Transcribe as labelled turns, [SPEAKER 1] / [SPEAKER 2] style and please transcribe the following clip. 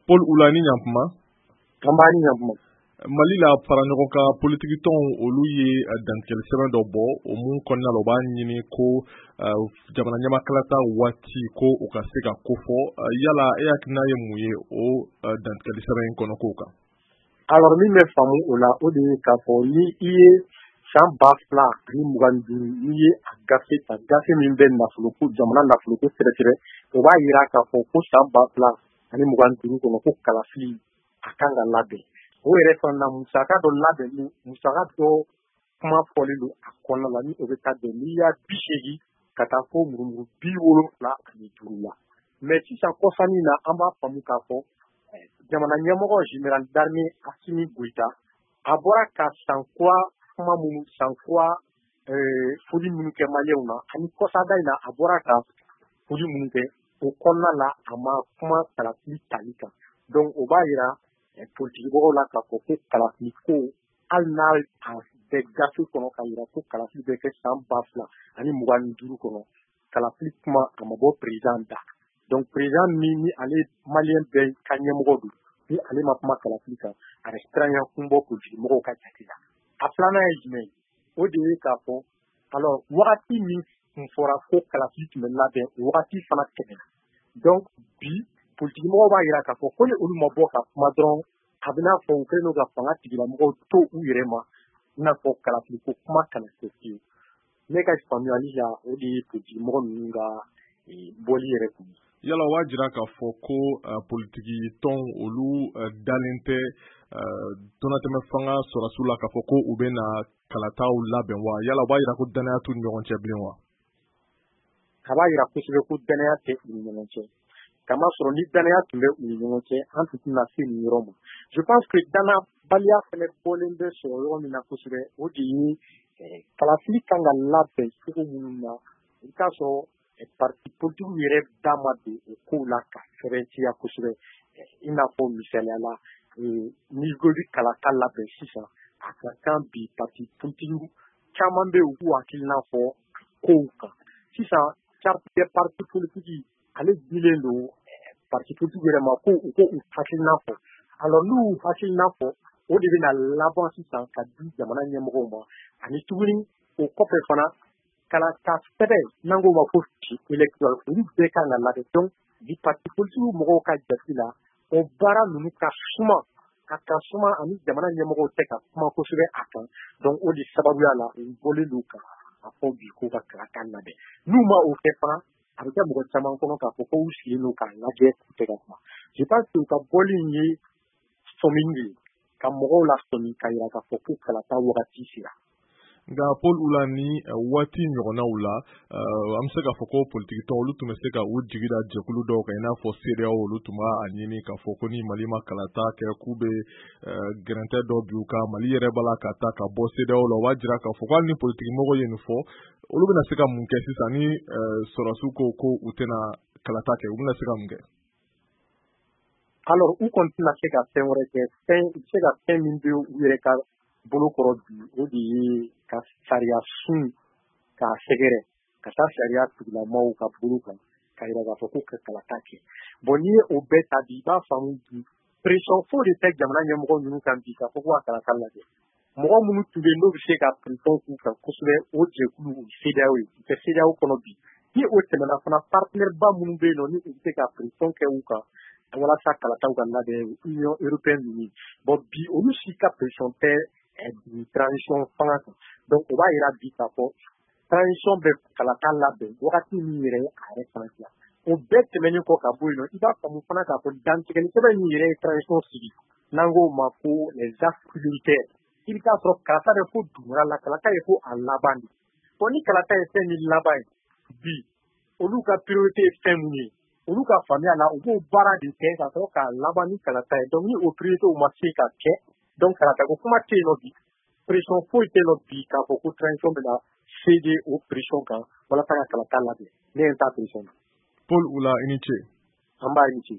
[SPEAKER 1] Paul Oula, ni ɲankuma.
[SPEAKER 2] An b'a ni ɲankuma.
[SPEAKER 1] Mali la, fara ɲɔgɔn kan politikitɔnw, olu ye dantigɛli sɛbɛn dɔ bɔ, o mun kɔnɔna la, u b'a ɲini ko jamana ɲɛmakalata waati ko o ka se ka kofɔ. Yala e hakilina ye mun ye o dantigɛli sɛbɛn in kɔnɔ kow kan?
[SPEAKER 2] Alors, min bɛ faamu o la, o de ye k'a fɔ ni i ye san 2025, n'i ye a gafe ta, gafe min bɛ nafoloko, jamana nafoloko sɛgɛsɛgɛ, o b'a yira k'a fɔ ko san 2025 kɔnɔ, ko kalafili a kan ka labɛn. O yɛrɛ fana na, musaka dɔ labɛn, musaka dɔ kuma fɔlen don a kɔnɔna la, ni o bɛ taa bɛn miliyari 80 ka taa fo murumuru 75 la. Mais sisan, kɔsannin na, an b'a faamu k'a fɔ jamana ɲɛmɔgɔ, général d'armée Assimi Goïta, a bɔra ka san kura kuma minnu, san kura foli minnu kɛ maliyɛnw na, ani kɔsada in na, a bɔra ka foli minnu kɛ, o kɔnɔna la, a ma kuma kalafili tali kan. Donc o b'a yira politikimɔgɔw la k'a fɔ ko kalafili ko, hali n'a a bɛ gafe kɔnɔ ka yira ko kalafili bɛ kɛ san 2025 kɔnɔ, kalafili kuma a ma bɔ président da. Donc président min ni ale maliyɛn bɛɛ ka ɲɛmɔgɔ don, ni ale ma kuma kalafili kan, a bɛ siranya kun bɔ politikimɔgɔw ka jate la. A filanan ye jumɛn ye? O de ye k'a fɔ, alors, wagati min kun fɔra ko kalafili tun bɛ labɛn, o wagati fana tɛmɛna. Donc bi, politikimɔgɔw b'a yira k'a fɔ ko ni olu ma bɔ ka kuma dɔrɔn, a bɛ n'a fɔ u kɛlen don ka fanga tigilamɔgɔw to u yɛrɛ ma, i n'a fɔ kalafili ko kuma kana kɛ fiyewu. Ne ka faamuyali la, o de ye politikimɔgɔ ninnu ka bɔli yɛrɛ kun ye.
[SPEAKER 1] Yala o b'a jira k'a fɔ ko politiki tɔn, olu dalen tɛ donnatɛmɛ fanga sɔrɔsiw la k'a fɔ ko u bɛ na kalataw labɛn wa? Yala o b'a jira ko danaya t'u ni ɲɔgɔn cɛ bilen wa?
[SPEAKER 2] A b'a yira kosɛbɛ ko danaya tɛ u ni ɲɔgɔn cɛ, kamasɔrɔ ni danaya tun bɛ u ni ɲɔgɔn cɛ, an tun tɛna se nin yɔrɔ ma. Je pense que danabaliya fɛnɛ bɔlen bɛ sɔrɔ yɔrɔ min na kosɛbɛ, o de ye kalafili kan ka labɛn cogo minnu na. I bɛ taa sɔrɔ parti politique yɛrɛ da ma don o kow la ka sɛbɛntiya kosɛbɛ. I n'a fɔ misaliya la, n'i ko i bɛ kalata labɛn sisan, a ka kan bi parti politique caman bɛ yen, u k'u hakilina fɔ kow kan. Sisan, charte des partis politiques, ale dilen don parti politique yɛrɛ ma ko u ko u hakilina fɔ. Alors n'u y'u hakilina fɔ, o de bɛna laban sisan ka di jamana ɲɛmɔgɔw ma. Ani tuguni, o kɔfɛ fana, kalata sɛbɛn n'an k'o ma ko fiche électorale, olu bɛɛ kan ka labɛn. Donc bi, parti politique mɔgɔw ka jate la, o baara ninnu ka suma, a ka suma, ani jamana ɲɛmɔgɔw tɛ ka kuma kosɛbɛ a kan. Donc o de sababuya la, u bɔlen don ka a fɔ bi k'u ka kalata labɛn. N'u ma o kɛ fana, a bɛ kɛ mɔgɔ caman kɔnɔ k'a fɔ ko u sigilen don k'a lajɛ, k'u tɛ ka kuma. Je pense que u ka bɔli in ye sɔmini de ye ka mɔgɔw la sɔmi ka yira k'a fɔ ko kalata wagati sera.
[SPEAKER 1] Nka Paul Oula, ni waati ɲɔgɔnnaw la, an bɛ se k'a fɔ ko politikitɔn, olu tun bɛ se ka u jigi da jɛkulu dɔw kan, i n'a fɔ CEDEAO. Olu tun b'a ɲini k'a fɔ ko ni Mali ma kalata kɛ, k'u bɛ gɛrɛntɛ dɔ bi u kan. Mali yɛrɛ b'a la ka taa ka bɔ CEDEAO la. O b'a jira k'a fɔ ko hali ni politikimɔgɔw ye nin fɔ, olu bɛna se ka mun kɛ sisan ni sɔrɔsiw ko ko u tɛna kalata kɛ? U bɛna se ka mun kɛ?
[SPEAKER 2] Alors, u kɔni tɛna se ka fɛn wɛrɛ kɛ. Fɛn u bɛ se ka fɛn min bɛ u yɛrɛ ka bolo kɔrɔ bi, o de ye ka sariya sun k'a sɛgɛrɛ ka taa sariya tigilamaw ka bolo kan ka yira k'a fɔ ko ka kalata kɛ. Bon, n'i ye o bɛɛ ta bi, i b'a faamu bi pression foyi de tɛ jamana ɲɛmɔgɔ ninnu kan bi k'a fɔ ko ka kalata lajɛ. Mɔgɔ minnu tun bɛ yen, n'o bɛ se ka pression k'u kan kosɛbɛ, o jɛkulu, o CEDEAO ye, u tɛ CEDEAO kɔnɔ bi. Ni o tɛmɛna fana, partenaire ba minnu bɛ yen nɔ, ni u bɛ se ka pression kɛ u kan walasa kalataw ka labɛn, Union européenne ninnu, bon, bi olu si ka pression tɛ transition fanga kan. Donc o b'a yira bi k'a fɔ transition bɛ kalata labɛn wagati min yɛrɛ ye a yɛrɛ fana diya. O bɛɛ tɛmɛnen kɔ ka bɔ yen nɔ, i b'a faamu fana k'a fɔ dantigɛli sɛbɛn min yɛrɛ ye transition sigi, n'an k'o ma ko les axes prioritaires, i bɛ taa sɔrɔ kalata bɛ fo dugumana la, kalata ye fo a laban de. Bon, ni kalata ye fɛn min laban ye bi, olu ka priorité ye fɛn mun ye, olu ka faamuya la, u b'o baara de kɛ ka sɔrɔ k'a laban ni kalata ye. Donc ni o priorité ma se ka kɛ, donc kalata ko kuma tɛ yen nɔ bi. Pression foyi tɛ yen nɔ bi k'a fɔ ko transition bɛna céder o pression kan walasa ka kalata labɛn. Ne ye n ta pression na.
[SPEAKER 1] Paul Oula, i ni ce.
[SPEAKER 2] An b'a ni ce.